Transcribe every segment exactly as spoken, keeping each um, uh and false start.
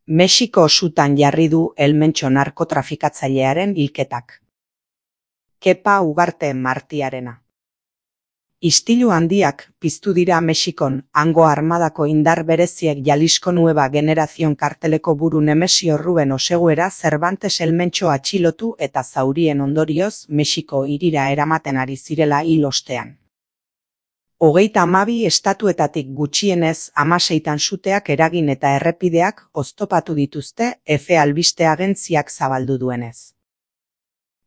Mexiko sutan jarri du helmentxo narkotrafikatzailearen hilketak. Kepa Ugarte Martiarena. Istilu handiak piztu dira Mexikon, hango armadako indar bereziek Jalisco Nueva Generación karteleko buru Nemesio Ruben Oseguera Cervantes helmentxo atxilotu eta zaurien ondorioz Mexiko hirira eramaten ari zirela hil ostean. Hogeita hamabi estatuetatik gutxienez hamaseitan suteak eragin eta errepideak oztopatu dituzte Efe albiste agentziak zabaldu duenez.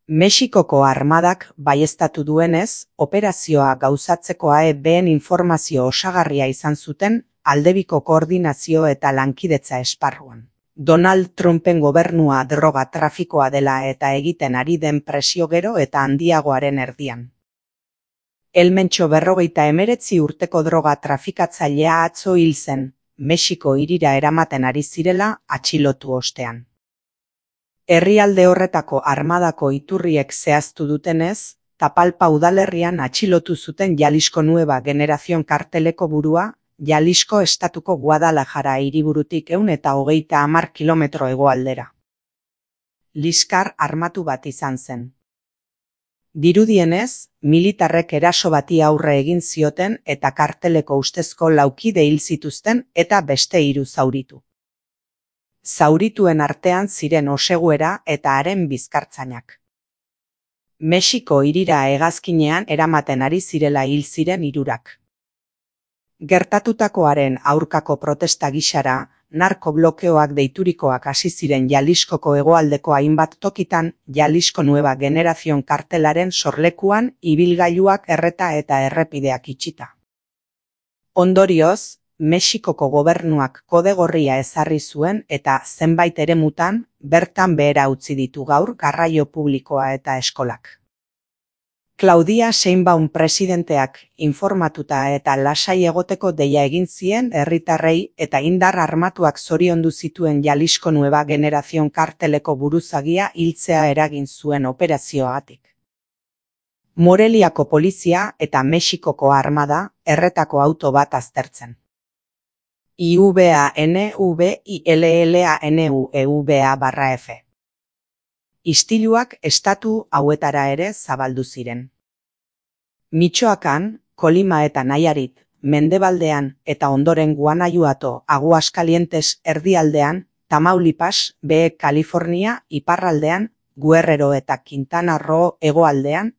Mexikoko armadak baieztatu duenez, operazioa gauzatzeko A E B:en informazio osagarria izan zuten aldebiko koordinazio eta lankidetza esparruan. Donald Trumpen gobernua droga trafikoa dela eta egiten ari den presio gero eta handiagoaren erdian. Helmentxo berrogeita hemeretzi urteko droga trafikatzailea atzo hil zen, Mexiko hirira eramaten ari zirela atxilotu ostean. Herrialde horretako armadako iturriek zehaztu dutenez, Tapalpa udalerrian atxilotu zuten Jalisco Nueva Generación karteleko burua, Jalisco estatuko Guadalajara hiriburutik ehun eta hogeita hamar kilometro hegoaldera. Liskar armatu bat izan zen. Dirudienez, militarrek eraso bati aurre egin zioten eta karteleko ustezko laukide hil zituzten eta beste hiru zauritu. Zaurituen artean ziren Oseguera eta haren bizkartzainak. Mexiko hirira hegazkinean eramaten ari zirela hil ziren hirurak. Gertatutakoaren aurkako protesta gisara, narkoblokeoak deiturikoak hasi ziren Jaliscoko hegoaldeko hainbat tokitan Jalisco Nueva Generación kartelaren sorlekuan ibilgailuak erreta eta errepideak itxita. Ondorioz, Mexikoko gobernuak kode gorria ezarri zuen eta zenbait eremutan bertan behera utzi ditu gaur garraio publikoa eta eskolak. Claudia Sheinbaum presidenteak informatuta eta lasai egoteko deia egin zien herritarrei eta indar armatuak zoriondu zituen Jalisco Nueva Generación karteleko buruzagia hiltzea eragin zuen operazioagatik. Moreliako polizia eta Mexikoko armada erretako auto bat aztertzen. I V A N V I L L A N U E V A barra F. Istiluak estatu hauetara ere zabaldu ziren. Michoacan, Kolima eta Nayarit, mendebaldean eta ondoren Guanajuato, Aguascalientes erdialdean, Tamaulipas, Baja California, iparraldean, Guerrero eta Quintana Roo hegoaldean,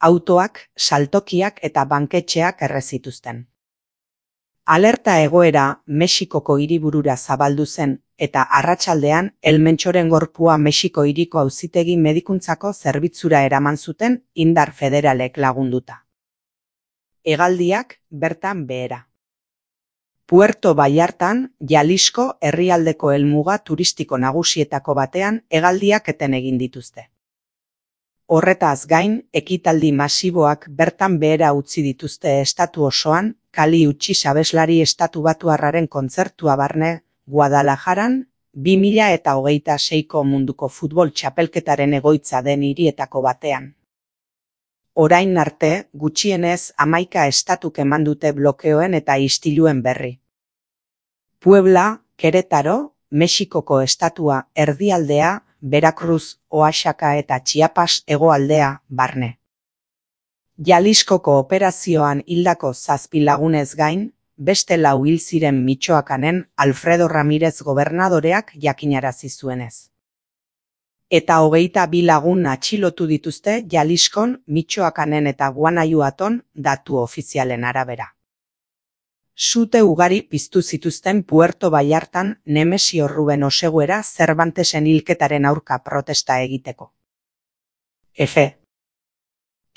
autoak, saltokiak eta banketxeak errezituzten. Alerta egoera Mexikoko hiriburura zabaldu zen eta arratsaldean helmentxoren gorpua Mexiko hiriko auzitegi medikuntzako zerbitzura eraman zuten indar federalek lagunduta. Hegaldiak bertan behera. Puerto Vallartan, Jalisco herrialdeko helmuga turistiko nagusietako batean hegaldiak eten egin dituzte. Horretaz gain, ekitaldi masiboak bertan behera utzi dituzte estatu osoan, Kali Uchis abeslari estatu batuarraren kontzertua barne, Guadalajaran, bi mila eta hogeita seiko munduko futbol txapelketaren egoitza den hirietako batean. Orain arte, gutxienez hamaika estatuk eman dute blokeoen eta istiluen berri. Puebla, Querétaro, Mexikoko estatua erdialdea, Veracruz, Oaxaca eta Chiapas hegoaldea barne. Jaliscoko operazioan hildako zazpi lagunez gain, beste lau hil ziren Michoacanen Alfredo Ramírez gobernadoreak jakinarazi zuenez. Eta hogeita bi lagun atxilotu dituzte Jaliscon, Michoacanen eta Guanajuaton datu ofizialen arabera. Sute ugari piztu zituzten Puerto Vallartan Nemesio Ruben Oseguera Cervantesen hilketaren aurka protesta egiteko. F.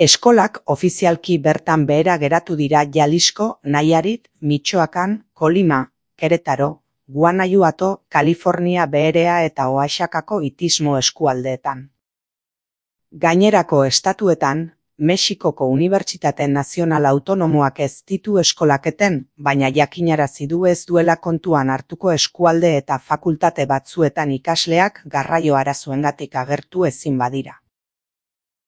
Eskolak ofizialki bertan behera geratu dira Jalisco, Nayarit, Michoacan, Kolima, Querétaro, Guanajuato, California beherea eta Oaxacako itismo eskualdeetan. Gainerako estatuetan, Mexikoko Unibertsitate Nazional Autonomoak ez ditu eskolaketen, baina jakinarazi du ez duela kontuan hartuko eskualde eta fakultate batzuetan ikasleak garraio arazoengatik agertu ezin badira.